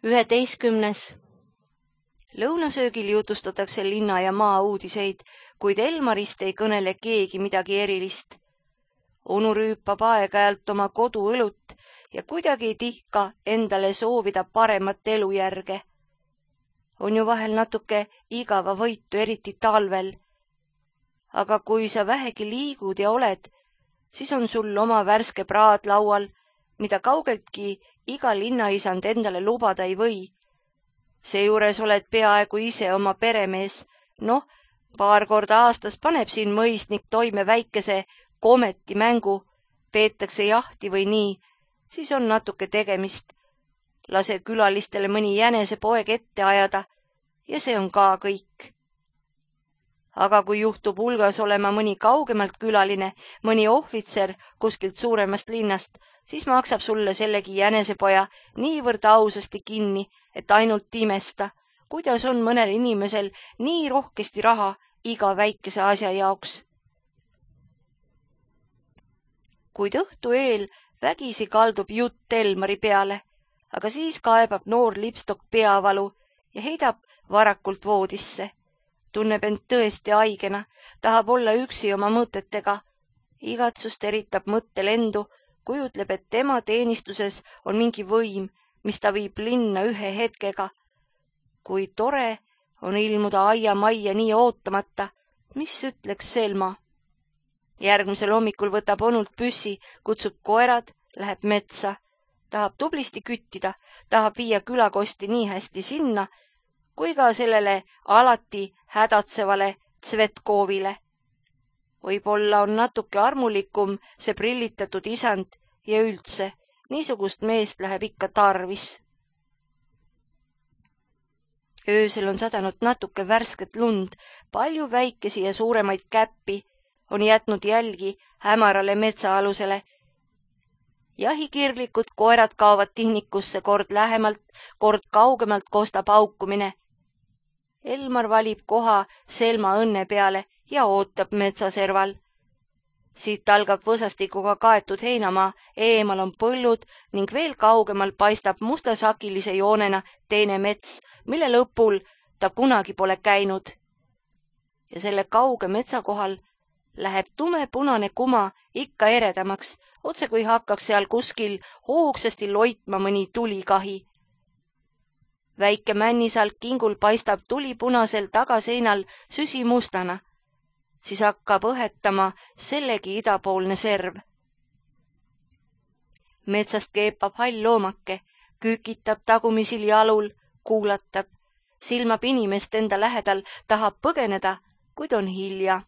11. Lõunasöögil jutustatakse linna ja maa uudiseid, kuid Elmarist ei kõnele keegi midagi erilist. Onu rüüpab aeg-ajalt oma koduõlut ja kuidagi ei tihka endale soovida paremat elujärge. On ju vahel natuke igava võitu, eriti talvel. Aga kui sa vähegi liigud ja oled, siis on sul oma värske praad laual, mida kaugeltki iga linnaisand endale lubada ei või. Seejuures oled peaaegu ise oma peremees. Paar korda aastas paneb siin mõisnik toime väikese kometi mängu, peetakse jahti või nii, siis on natuke tegemist. Lase külalistele mõni jänesepoeg ette ajada ja see on ka kõik. Aga kui juhtub hulgas olema mõni kaugemalt külaline, mõni ohvitser kuskilt suuremast linnast, siis maksab sulle sellegi jänesepoja niivõrd ausasti kinni, et ainult imesta, kuidas on mõnel inimesel nii rohkesti raha iga väikese asja jaoks. Kuid õhtu eel vägisi kaldub jutt Elmari peale, aga siis kaebab noor lipstok peavalu ja heidab varakult voodisse. Tunneb end tõesti haigena, tahab olla üksi oma mõtetega. Igatsust eritab mõttelendu, kujutleb, et tema teenistuses on mingi võim, mis ta viib linna ühe hetkega. Kui tore on ilmuda aiamajja nii ootamata, mis ütleks Selma. Järgmisel hommikul võtab onult püssi, kutsub koerad, läheb metsa. Tahab tublisti küttida, tahab viia külakosti nii hästi sinna, kui ka sellele alati hädatsevale Tsvetkovile. Võib-olla on natuke armulikum see prillitatud isand ja üldse, niisugust meest läheb ikka tarvis. Öösel on sadanud natuke värsket lund, palju väikesi ja suuremaid käppi, on jätnud jälgi hämarale metsaalusele. Jahikirglikud koerad kaovad tihnikusse, kord lähemalt, kord kaugemalt kostab haukumine. Elmar valib koha Selma õnne peale ja ootab metsaserval. Siit algab võsastikuga kaetud heinamaa, eemal on põllud ning veel kaugemal paistab mustasakilise joonena teine mets, mille lõpul ta kunagi pole käinud. Ja selle kauge metsa kohal läheb tumepunane kuma ikka eredamaks, otse kui hakkaks seal kuskil hoogsasti loitma mõni tulikahi. Väike männisalk kingul paistab tulipunasel tagaseinal süsimustana, siis hakkab õhetama sellegi idapoolne serv. Metsast keepab hall loomake, kükitab tagumisil jalul, kuulatab, silmab inimest enda lähedal, tahab põgeneda, kuid on hilja.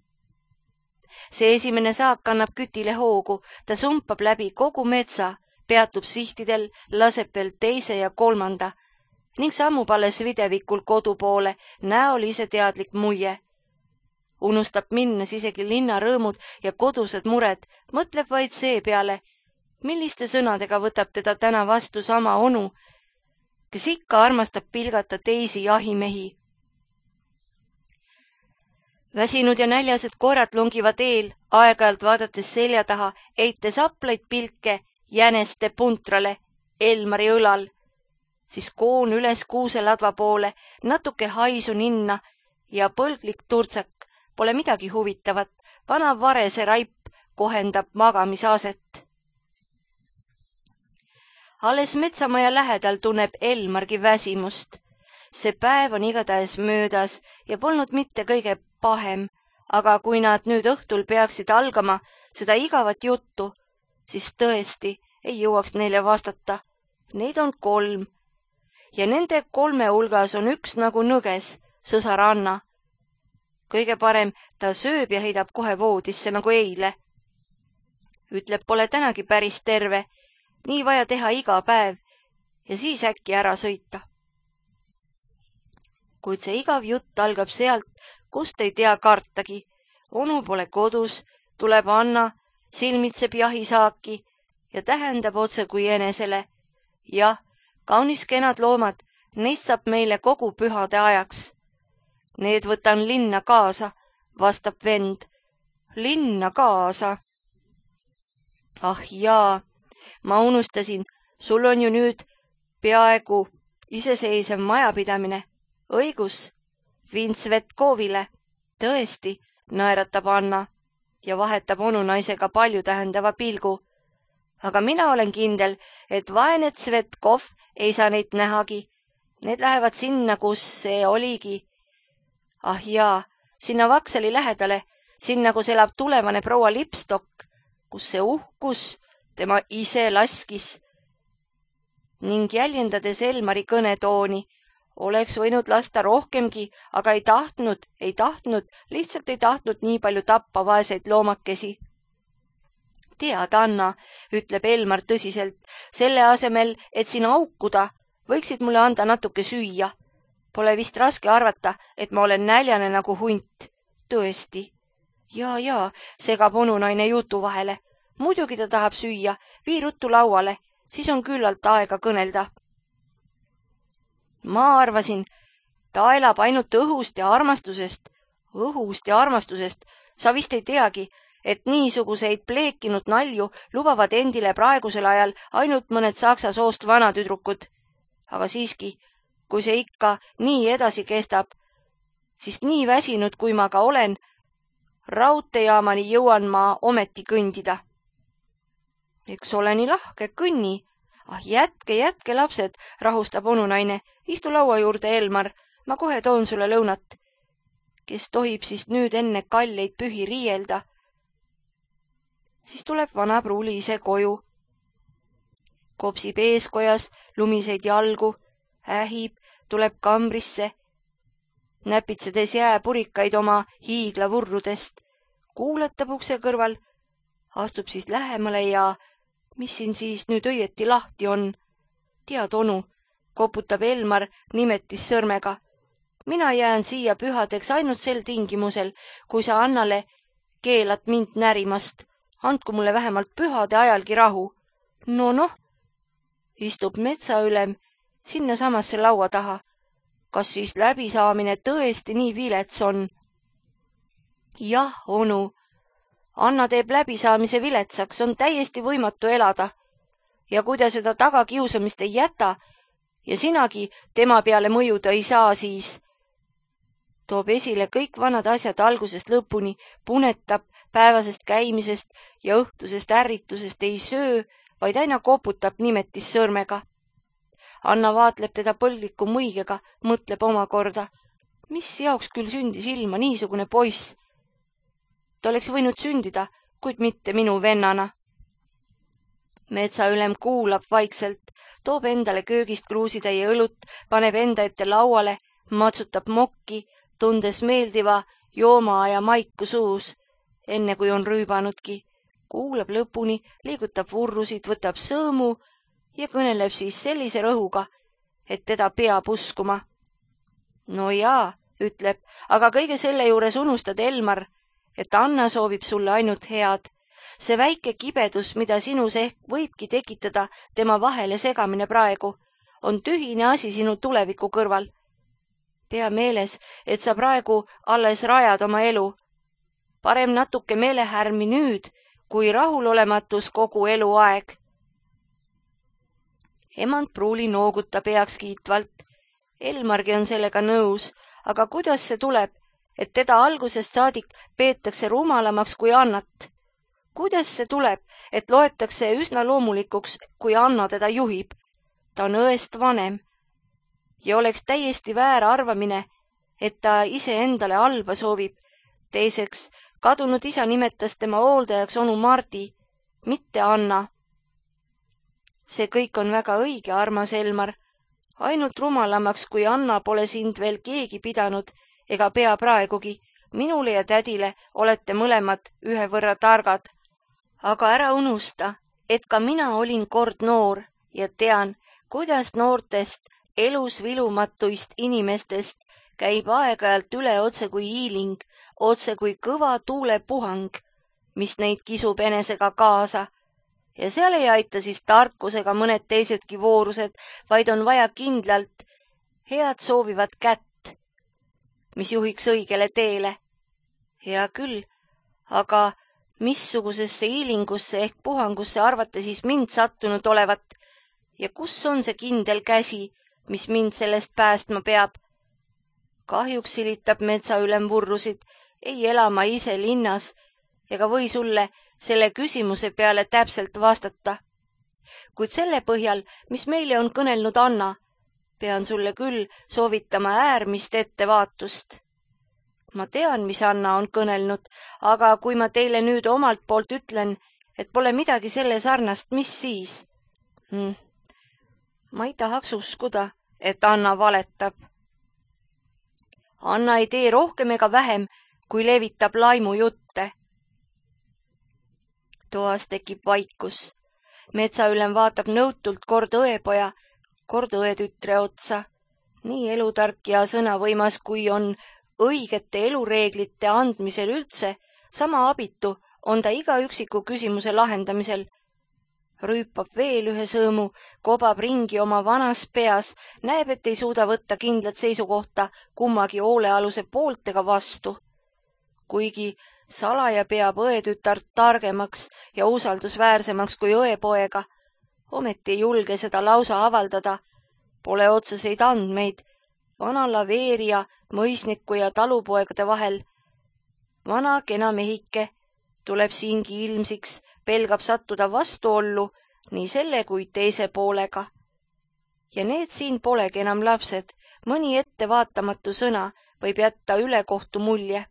See esimene saak annab kütile hoogu, ta sumpab läbi kogu metsa, peatub sihtidel, laseb veel teise ja kolmanda ning sammub alles videvikul kodu poole, näol ise teadlik muie. Unustab minnes isegi linna rõõmud ja kodused mured, mõtleb vaid see peale, milliste sõnadega võtab teda täna vastu sama onu, kes ikka armastab pilgata teisi jahimehi. Väsinud ja näljased koerad longivad eel, aeg-ajalt vaadates selja taha, eites aplaid pilke jäneste puntrale Elmari õlal, siis koon üles kuuseladva poole, natuke haisu ninna ja põlglik turtsak. Pole midagi huvitavat, vana varese raip kohendab magamisaset. Alles metsamaja lähedal tunneb Elmargi väsimust. See päev on igatahes möödas ja polnud mitte kõige pahem, aga kui nad nüüd õhtul peaksid algama seda igavat juttu, siis tõesti ei jõuaks neile vastata. Neid on 3 ja nende 3 hulgas on üks nagu nõges, sõsar Anna. Kõige parem ta sööb ja heidab kohe voodisse nagu eile. Ütleb, pole tänagi päris terve, nii vaja teha iga päev ja siis äkki ära sõita. Kuid see igav jutt algab sealt, kust ei tea kartagi. Onu pole kodus, tuleb Anna, silmitseb jahisaaki ja tähendab otse kui enesele. Jah, kaunis kenad loomad, neist saab meile kogu pühade ajaks. Need võtan linna kaasa, vastab vend. Linna kaasa. Ah jaa, ma unustasin, sul on ju nüüd peaaegu iseseisev majapidamine. Õigus, viin Svetkovile. Tõesti, naeratab Anna ja vahetab onunaisega palju tähendava pilgu. Aga mina olen kindel, et vaene Svetkov ei saa neid nähagi. Need lähevad sinna, kus see oligi. Ah jaa, sinna Vaksali lähedale, sinna, kus elab tulevane proua Lipstok, kus see uhkus tema ise laskis. Ning jäljendades Elmari kõnetooni, oleks võinud lasta rohkemgi, aga ei tahtnud, lihtsalt ei tahtnud nii palju tappa vaeseid loomakesi. Tead, Anna, ütleb Elmar tõsiselt, selle asemel, et siin aukuda, võiksid mulle anda natuke süüa. Pole vist raske arvata, et ma olen näljane nagu hunt. Tõesti. Jaa, segab onunaine jutu vahele. Muidugi ta tahab süüa, vii ruttu lauale, siis on küllalt aega kõnelda. Ma arvasin, ta elab ainult õhust ja armastusest. Õhust ja armastusest. Sa vist ei teagi, et niisuguseid pleekinud nalju lubavad endile praegusel ajal ainult mõned saksa soost vanatüdrukud. Aga siiski, kui see ikka nii edasi kestab, siis nii väsinud, kui ma ka olen, raudteejaamani jõuan ma ometi kõndida. Eks ole nii lahke, kõnni. Ah, jätke, lapsed, rahustab onunaine. Istu laua juurde, Elmar, ma kohe toon sulle lõunat. Kes tohib siis nüüd enne kalleid pühi riielda? Siis tuleb vana pruuli ise koju. Kopsib eeskojas lumiseid jalgu, ähib, tuleb kambrisse, näpitsedes jääpurikaid oma hiiglavurrudest, kuuletab ukse kõrval, astub siis lähemale ja mis siin siis nüüd õieti lahti on? Tead, onu, koputab Elmar nimetis sõrmega. Mina jään siia pühadeks ainult sel tingimusel, kui sa Annale keelad mind närimast. Andku mulle vähemalt pühade ajalgi rahu. Noh, istub metsaülem sinna samasse laua taha. Kas siis läbisaamine tõesti nii vilets on? Jah, onu. Anna teeb läbisaamise viletsaks, on täiesti võimatu elada. Ja kui ta seda tagakiusamist ei jäta ja sinagi tema peale mõjuda ei saa, siis toob esile kõik vanad asjad algusest lõpuni, punetab päevasest käimisest ja õhtusest ärritusest ei söö, vaid aina koputab nimetis sõrmega. Anna vaatleb teda põlviku muigega, mõtleb omakorda, mis jaoks küll sündis ilma niisugune poiss. Ta oleks võinud sündida, kuid mitte minu vennana. Metsaülem kuulab vaikselt, toob endale köögist kruusitäie õlut, paneb enda ette lauale, matsutab mokki, tundes meeldiva joomaaja maiku suus, enne kui on rüübanudki. Kuulab lõpuni, liigutab vurrusid, võtab sõõmu ja kõneleb siis sellise rõhuga, et teda peab uskuma. No jaa, ütleb, aga kõige selle juures unustad, Elmar, et Anna soovib sulle ainult head. See väike kibedus, mida sinus ehk võibki tekitada tema vahele segamine praegu, on tühine asi sinu tuleviku kõrval. Pea meeles, et sa praegu alles rajad oma elu. Parem natuke meelehärmi nüüd, kui rahulolematus kogu eluaeg. Emand pruuli noogutab heaks kiitvalt. Elmargi on sellega nõus, aga kuidas see tuleb, et teda algusest saadik peetakse rumalamaks kui Annat? Kuidas see tuleb, et loetakse üsna loomulikuks, kui Anna teda juhib? Ta on õest vanem. Ja oleks täiesti väär arvamine, et ta ise endale halba soovib. Teiseks, kadunud isa nimetas tema hooldajaks onu Mardi, mitte Anna. See kõik on väga õige, armas Elmar. Ainult rumalamaks, kui Anna pole sind veel keegi pidanud ega pea praegugi. Minule ja tädile olete mõlemad ühe võrra targad. Aga ära unusta, et ka mina olin kord noor ja tean, kuidas noortest elus vilumatuist inimestest käib aeg-ajalt üle otse kui hiiling, otse kui kõva tuulepuhang, mis neid kisub enesega kaasa. Ja seal ei aita siis tarkusega mõned teisedki voorused, vaid on vaja kindlalt head soovivat kätt, mis juhiks õigele teele. Hea küll, aga missugusesse hiilingusse ehk puhangusse arvate siis mind sattunud olevat ja kus on see kindel käsi, mis mind sellest päästma peab. Kahjuks silitab metsaülem vurrusid, ei ela ma ise linnas ega või sulle selle küsimuse peale täpselt vastata. Kuid selle põhjal, mis meile on kõnelnud Anna, pean sulle küll soovitama äärmist ettevaatust. Ma tean, mis Anna on kõnelnud, aga kui ma teile nüüd omalt poolt ütlen, et pole midagi selle sarnast, mis siis? Ma ei tahaks uskuda, et Anna valetab. Anna ei tee rohkem ega vähem, kui levitab laimujutte. Toas tekib vaikus. Metsaülem vaatab nõutult kord õepoja, kord õetütre otsa. Nii elutark ja sõnavõimas, kui on õigete elureeglite andmisel üldse, sama abitu on ta iga üksiku küsimuse lahendamisel. Rüüpab veel ühe sõõmu, kobab ringi oma vanas peas, näeb, et ei suuda võtta kindlat seisukohta kummagi hoolealuse poolt ega vastu. Kuigi salaja peab õetütart targemaks ja usaldusväärsemaks kui õepoega, ometi ei julge seda lausa avaldada. Pole otseseid andmeid vana laveerija, mõisniku ja talupoegade vahel. Vana kena mehike tuleb siingi ilmsiks, pelgab sattuda vastuollu nii selle kui teise poolega. Ja need siin polegi enam lapsed, mõni ettevaatamatu sõna võib jätta ülekohtu mulje.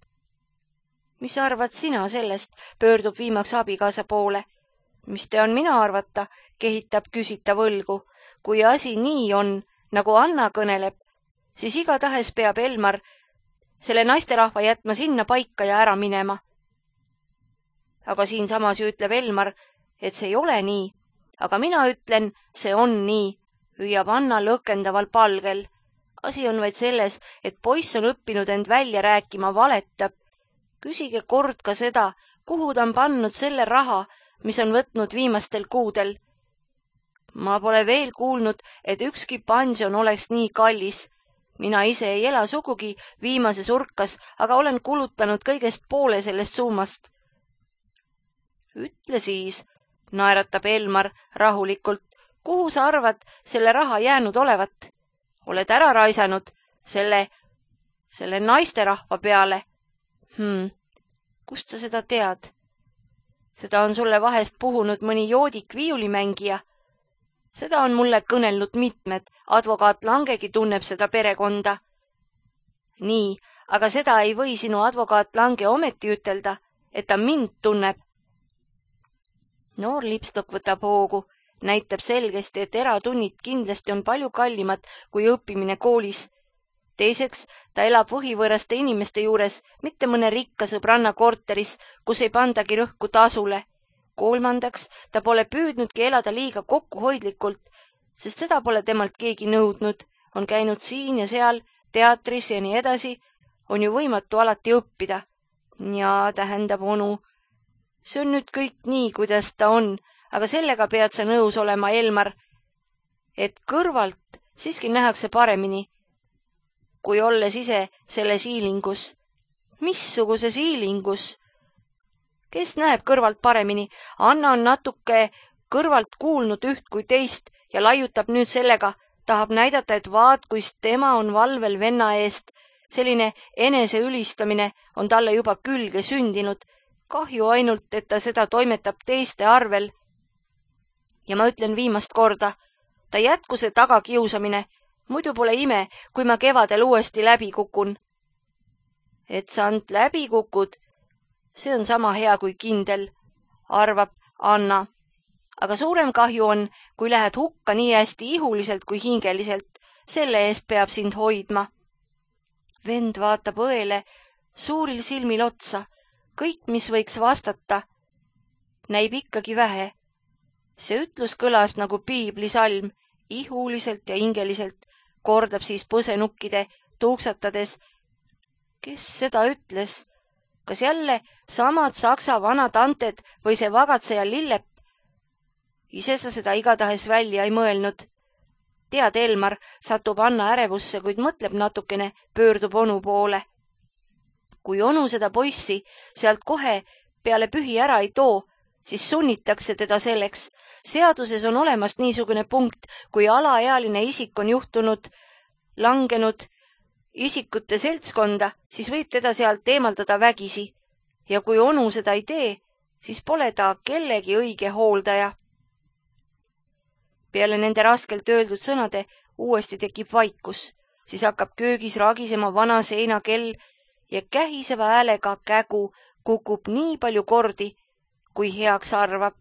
Mis arvad sina sellest, pöördub viimaks abikaasa poole. Mis tean mina arvata, kehitab küsita võlgu. Kui asi nii on, nagu Anna kõneleb, siis igatahes peab Elmar selle naisterahva jätma sinna paika ja ära minema. Aga siinsamas ju ütleb Elmar, et see ei ole nii, aga mina ütlen, see on nii, hüüab Anna lõkendaval palgel. Asi on vaid selles, et poiss on õppinud end välja rääkima, valetab. Küsige kord ka seda, kuhu ta on pannud selle raha, mis on võtnud viimastel kuudel. Ma pole veel kuulnud, et ükski pension oleks nii kallis. Mina ise ei ela sugugi viimases urkas, aga olen kulutanud kõigest poole sellest summast. Ütle siis, naeratab Elmar rahulikult, kuhu sa arvad selle raha jäänud olevat? Oled ära raisanud selle naisterahva peale? Kust sa seda tead? Seda on sulle vahest puhunud mõni joodik viiulimängija. Seda on mulle kõnelnud mitmed, advokaat Langegi tunneb seda perekonda. Nii, aga seda ei või sinu advokaat Lange ometi ütelda, et ta mind tunneb. Noor lipstok võtab hoogu, näitab selgesti, et eratunnid kindlasti on palju kallimad kui õppimine koolis. Teiseks, ta elab võhivõõraste inimeste juures, mitte mõne rikka sõbranna korteris, kus ei pandagi rõhku tasule. Kolmandaks, ta pole püüdnudki elada liiga kokkuhoidlikult, sest seda pole temalt keegi nõudnud. On käinud siin ja seal, teatris ja nii edasi, on ju võimatu alati õppida. Ja tähendab, onu, see on nüüd kõik nii, kuidas ta on, aga sellega pead sa nõus olema, Elmar, et kõrvalt siiski nähakse paremini, kui olles ise selles hiilingus. Missuguses hiilingus? Kes näeb kõrvalt paremini? Anna on natuke kõrvalt kuulnud üht kui teist ja laiutab nüüd sellega, tahab näidata, et vaat, kuis tema on valvel venna eest. Selline enese ülistamine on talle juba külge sündinud. Kahju ainult, et ta seda toimetab teiste arvel. Ja ma ütlen viimast korda, ta jätku see tagakiusamine, muidu pole ime, kui ma kevadel uuesti läbi kukun. Et sa ant läbi kukud, see on sama hea kui kindel, arvab Anna. Aga suurem kahju on, kui lähed hukka nii hästi ihuliselt kui hingeliselt, selle eest peab sind hoidma. Vend vaatab õele suuril silmil otsa, kõik, mis võiks vastata, näib ikkagi vähe. See ütlus kõlas nagu piiblisalm, ihuliselt ja hingeliselt, kordab siis põsenukkide tuuksatades. Kes seda ütles? Kas jälle samad saksa vanad anted või see vagatseja Lillep? Ise sa seda igatahes välja ei mõelnud. Tead, Elmar, satub Anna ärevusse, kuid mõtleb natukene, pöördub onu poole. Kui onu seda poissi sealt kohe peale pühi ära ei too, siis sunnitakse teda selleks. Seaduses on olemas niisugune punkt, kui alaealine isik on juhtunud langenud isikute seltskonda, siis võib teda sealt eemaldada vägisi. Ja kui onu seda ei tee, siis pole ta kellegi õige hooldaja. Peale nende raskelt öeldud sõnade uuesti tekib vaikus, siis hakkab köögis ragisema vana seinakell ja kähiseva häälega kägu kukub nii palju kordi, kui heaks arvab.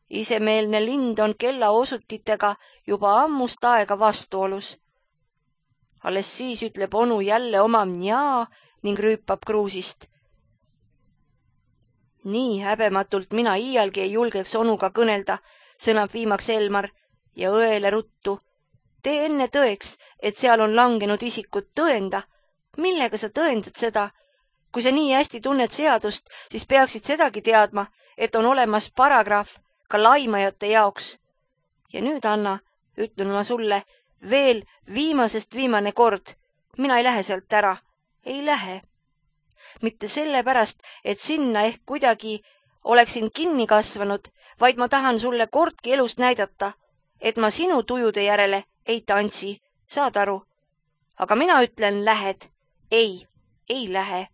Isemeelne lind on kella osutitega juba ammust aega vastuolus. Alles siis ütleb onu jälle oma mjaa ning rüüpab kruusist. Nii häbematult mina iialgi ei julgeks onuga kõnelda, sõnab viimaks Elmar ja õele ruttu. Tee enne tõeks, et seal on langenud isikut, tõenda. Millega sa tõendad seda? Kui sa nii hästi tunned seadust, siis peaksid sedagi teadma, et on olemas paragrahv ka laimajate jaoks. Ja nüüd, Anna, ütlen ma sulle veel viimasest viimane kord. Mina ei lähe sealt ära. Ei lähe. Mitte sellepärast, et sinna ehk kuidagi oleksin kinni kasvanud, vaid ma tahan sulle kordki elust näidata, et ma sinu tujude järele ei tantsi, saad aru? Aga mina ütlen, lähed. Ei lähe.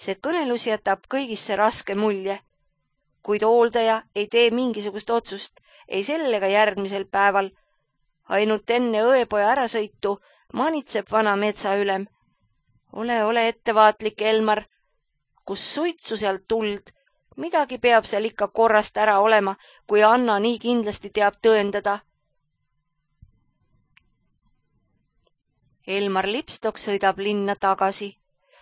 See kõnelus jätab kõigisse raske mulje, kuid hooldaja ei tee mingisugust otsust, ei sellega järgmisel päeval. Ainult enne õepoja ärasõitu manitseb vana metsaülem. Ole ettevaatlik, Elmar. Kus suitsu sealt tuld, midagi peab seal ikka korrast ära olema, kui Anna nii kindlasti teab tõendada. Elmar Lipstok sõidab linna tagasi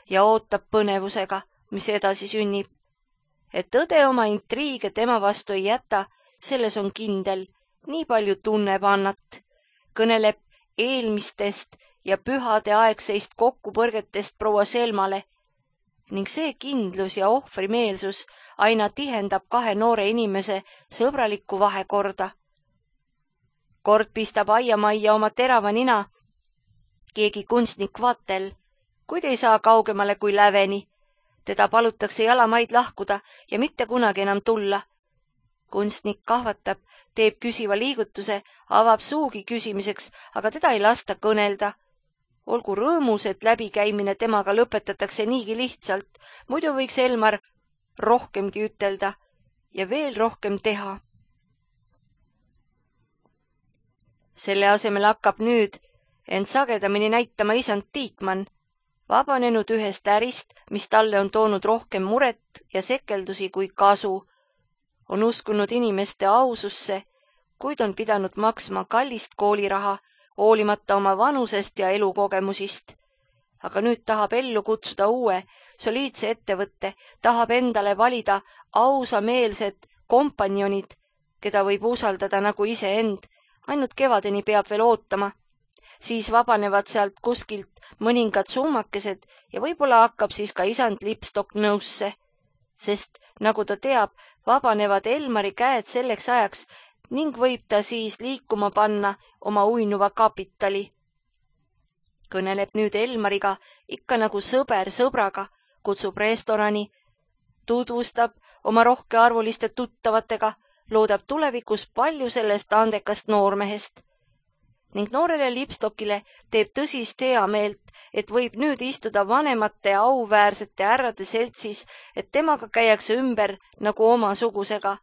ja ootab põnevusega, mis edasi sünnib. Et tõde oma intriige tema vastu ei jäta, selles on kindel, nii palju tunneb Annat. Kõneleb eelmistest ja pühade aegseist kokkupõrgetest proua Selmale ning see kindlus ja ohvrimeelsus aina tihendab kahe noore inimese sõbralikku vahekorda. Kord pistab aiamajja oma terava nina keegi kunstnik Vatel, kuid ei saa kaugemale kui läveni. Teda palutakse jalamaid lahkuda ja mitte kunagi enam tulla. Kunstnik kahvatab, teeb küsiva liigutuse, avab suugi küsimiseks, aga teda ei lasta kõnelda. Olgu rõõmus, et läbikäimine temaga lõpetatakse niigi lihtsalt, muidu võiks Elmar rohkemgi ütelda ja veel rohkem teha. Selle asemel hakkab nüüd ent sagedamini näitama isand Tiikmann, vabanenud ühest ärist, mis talle on toonud rohkem muret ja sekeldusi kui kasu. On uskunud inimeste aususse, kuid on pidanud maksma kallist kooliraha, hoolimata oma vanusest ja elukogemusist. Aga nüüd tahab ellu kutsuda uue, soliidse ettevõtte, tahab endale valida ausameelsed kompanjonid, keda võib usaldada nagu iseend, ainult kevadeni peab veel ootama. Siis vabanevad sealt kuskilt mõningad summakesed ja võib-olla hakkab siis ka isand Lipstok nõusse, sest nagu ta teab, vabanevad Elmari käed selleks ajaks ning võib ta siis liikuma panna oma uinuva kapitali. Kõneleb nüüd Elmariga ikka nagu sõber sõbraga, kutsub restorani, tutvustab oma rohkearvuliste tuttavatega, loodab tulevikus palju sellest andekast noormehest. Ning noorele Lipstokile teeb tõsist heameelt, et võib nüüd istuda vanemate auväärsete härrade seltsis, et temaga käiakse ümber nagu oma sugusega.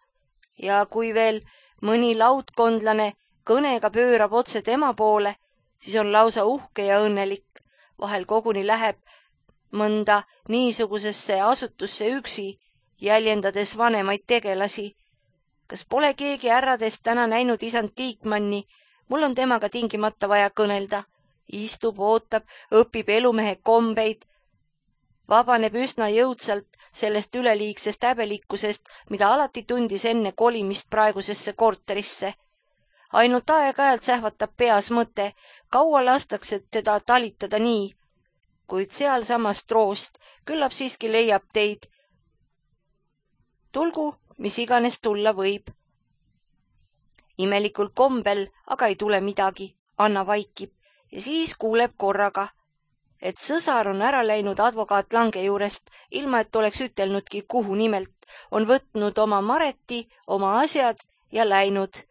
Ja kui veel mõni laudkondlane kõnega pöörab otse tema poole, siis on lausa uhke ja õnnelik. Vahel koguni läheb mõnda niisugusesse asutusse üksi, jäljendades vanemaid tegelasi. Kas pole keegi härradest täna näinud isand Tiikmanni? Mul on temaga tingimata vaja kõnelda. Istub, ootab, õpib elumehe kombeid. Vabaneb üsna jõudsalt sellest üleliigsest häbelikkusest, mida alati tundis enne kolimist praegusesse korterisse. Ainult aeg-ajalt sähvatab peas mõte, kaua lastakse teda talitada nii. Kuid sealsamas troost, küllap siiski leiab teid. Tulgu, mis iganes tulla võib. Imelikul kombel aga ei tule midagi, Anna vaikib ja siis kuuleb korraga, et sõsar on ära läinud advokaat Lange juurest, ilma et oleks ütelnudki, kuhu nimelt, on võtnud oma Mareti, oma asjad ja läinud.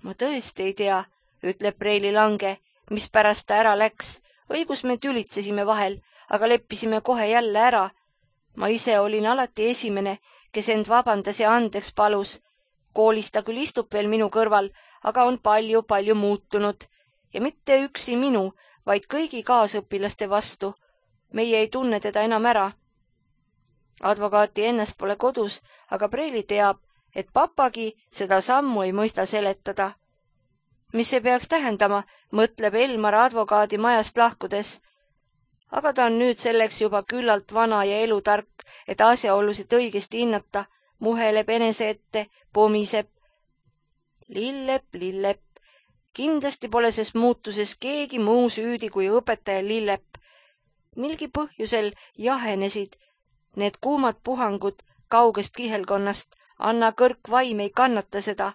Ma tõesti ei tea, ütleb Preili Lange, mispärast ta ära läks. Õigus me tülitsesime vahel, aga leppisime kohe jälle ära. Ma ise olin alati esimene, kes end vabandas ja andeks palus. Koolis ta küll istub veel minu kõrval, aga on palju muutunud. Ja mitte üksi minu, vaid kõigi kaasõpilaste vastu. Meie ei tunne teda enam ära. Advokaati ennast pole kodus, aga Preili teab, et papagi seda sammu ei mõista seletada. Mis see peaks tähendama, mõtleb Elmar advokaadi majast lahkudes. Aga ta on nüüd selleks juba küllalt vana ja elutark, et asjaolusid õigesti hinnata, muheleb enese ette, pomiseb. Lillep. Kindlasti pole ses muutuses keegi muu süüdi kui õpetaja Lillep. Milgi põhjusel jahenesid need kuumad puhangud kaugest kihelkonnast, Anna kõrk vaim ei kannata seda.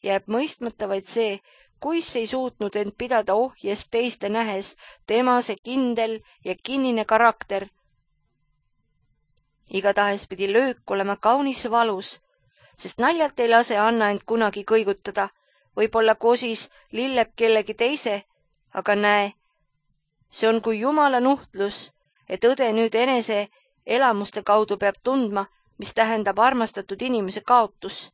Jääb mõistmata vaid see, kuis ei suutnud end pidada ohjes teiste nähes, tema see kindel ja kinnine karakter. Igatahes pidi löök olema kaunis valus, sest naljalt ei lase Anna end kunagi kõigutada. Võib-olla kosis Lillep kellegi teise, aga näe, see on kui jumala nuhtlus, et õde nüüd enese elamuste kaudu peab tundma, mis tähendab armastatud inimese kaotus.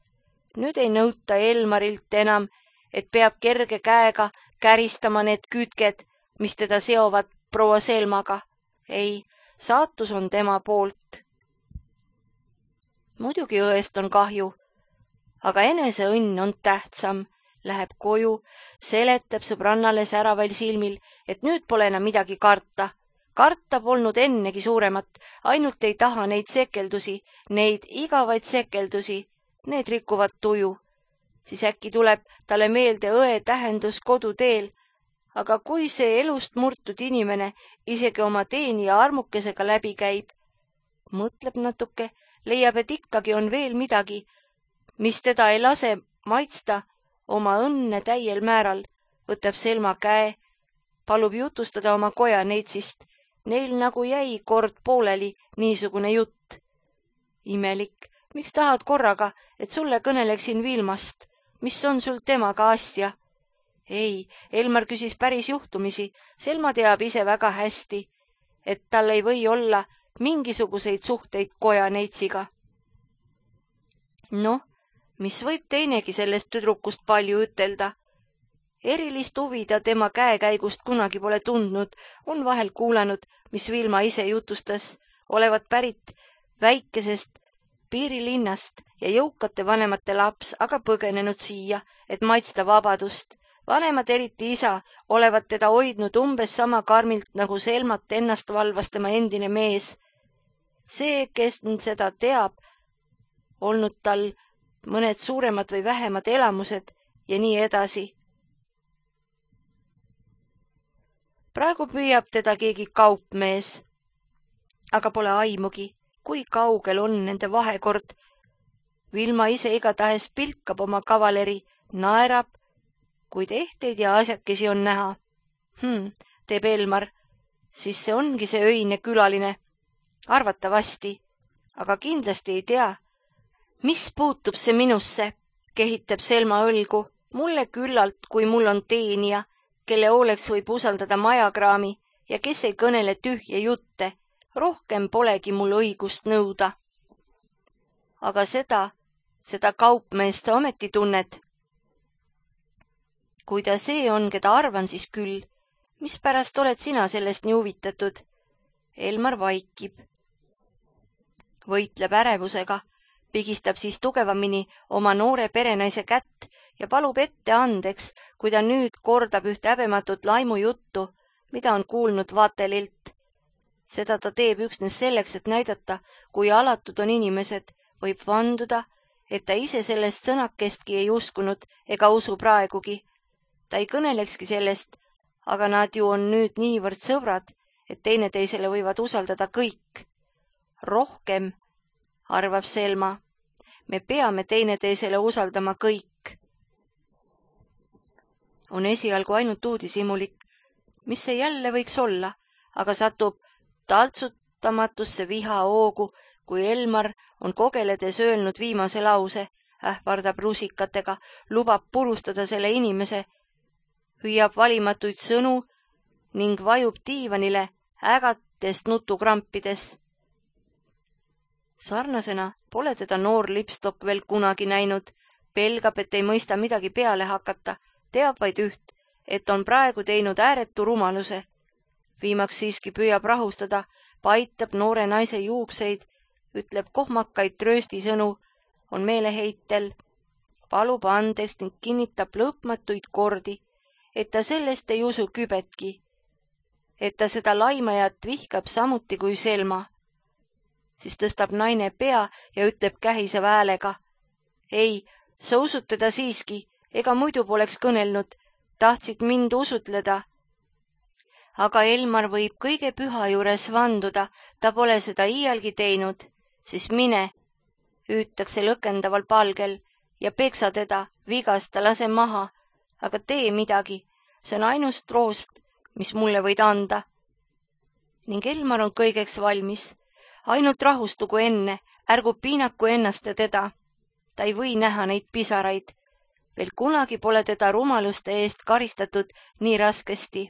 Nüüd ei nõuta Elmarilt enam, et peab kerge käega käristama need küütked, mis teda seovad proua Selmaga. Ei, saatus on tema poolt. Muidugi õest on kahju, aga enese õnn on tähtsam. Läheb koju, seletab sõbrannale säraval silmil, et nüüd pole enam midagi karta. Karta polnud ennegi suuremat, ainult ei taha neid sekeldusi, neid igavaid sekeldusi, need rikuvad tuju. Siis äkki tuleb talle meelde õe tähendus koduteel, aga kui see elust murtud inimene isegi oma teenija armukesega läbi käib, mõtleb natuke, leiab, et ikkagi on veel midagi, mis teda ei lase maitsta oma õnne täiel määral, võtab Selma käe, palub jutustada oma kojaneitsist. Neil nagu jäi kord pooleli niisugune jutt. Imelik, miks tahad korraga, et sulle kõneleksin Vilmast? Mis on sul temaga asja? Ei, Elmar küsis päris juhtumisi. Selma teab ise väga hästi, et tal ei või olla mingisuguseid suhteid kojaneitsiga. Noh, mis võib teinegi sellest tüdrukust palju ütelda. Erilist huvi ta tema käekäigust kunagi pole tundnud, on vahel kuulanud, mis Vilma ise jutustas, olevat pärit väikesest piirilinnast ja jõukate vanemate laps, aga põgenenud siia, et maitsta vabadust. Vanemad, eriti isa, olevat teda hoidnud umbes sama karmilt, nagu Selmat ennast valvas tema endine mees. See, kes seda teab, olnud tal mõned suuremad või vähemad elamused ja nii edasi. Praegu püüab teda keegi kaupmees, aga pole aimugi, kui kaugel on nende vahekord. Vilma ise igatahes pilkab oma kavaleri, naerab, kuid ehteid ja asjakesi on näha. Teeb Elmar, siis see ongi see öine külaline. Arvatavasti, aga kindlasti ei tea. Mis puutub see minusse, kehitab Selma õlgu. Mulle küllalt, kui mul on teenija, kelle hooleks võib usaldada majakraami ja kes ei kõnele tühje jutte. Rohkem polegi mul õigust nõuda. Aga seda kaupmeest sa ometi tunned. Kui ta see on, keda arvan, siis küll. Mispärast oled sina sellest nii huvitatud? Elmar vaikib. Võitleb ärevusega, pigistab siis tugevamini oma noore perenaise kätt ja palub ette andeks, kui ta nüüd kordab üht häbematut laimujuttu, mida on kuulnud vaatelilt. Seda ta teeb üksnes selleks, et näidata, kui alatud on inimesed, võib vanduda, et ta ise sellest sõnakestki ei uskunud ega usu praegugi. Ta ei kõnelekski sellest, aga nad ju on nüüd niivõrd sõbrad, et teineteisele võivad usaldada kõik. Rohkem, arvab Selma, me peame teineteisele usaldama kõik. On esialgu ainult uudishimulik, mis see jälle võiks olla, aga satub taltsutamatusse vihahoogu, kui Elmar on kogeledes öelnud viimase lause, ähvardab rusikatega, lubab purustada selle inimese, hüüab valimatuid sõnu ning vajub diivanile ägates nutukrampides. Sarnasena pole teda noor Lipstock veel kunagi näinud, pelgab, et ei mõista midagi peale hakata, teab vaid üht, et on praegu teinud ääretu rumaluse. Viimaks siiski püüab rahustada, paitab noore naise juukseid, ütleb kohmakaid trööstisõnu, on meeleheitel, palub andeks ning kinnitab lõpmatuid kordi, et ta sellest ei usu kübetki, et ta seda laimajat vihkab samuti kui Selma. Siis tõstab naine pea ja ütleb kähiseva häälega, ei, sa usud teda siiski, ega muidu poleks kõnelnud, tahtsid mind usutleda. Aga Elmar võib kõige püha juures vanduda, ta pole seda iialgi teinud, siis mine, hüütakse lõkendaval palgel ja peksa teda, vigasta, lase maha, aga tee midagi, see on ainus troost, mis mulle võid anda. Ning Elmar on kõigeks valmis, ainult rahustugu enne, ärgu piinaku ennast ja teda. Ta ei või näha neid pisaraid. Veel kunagi pole teda rumaluste eest karistatud nii raskesti.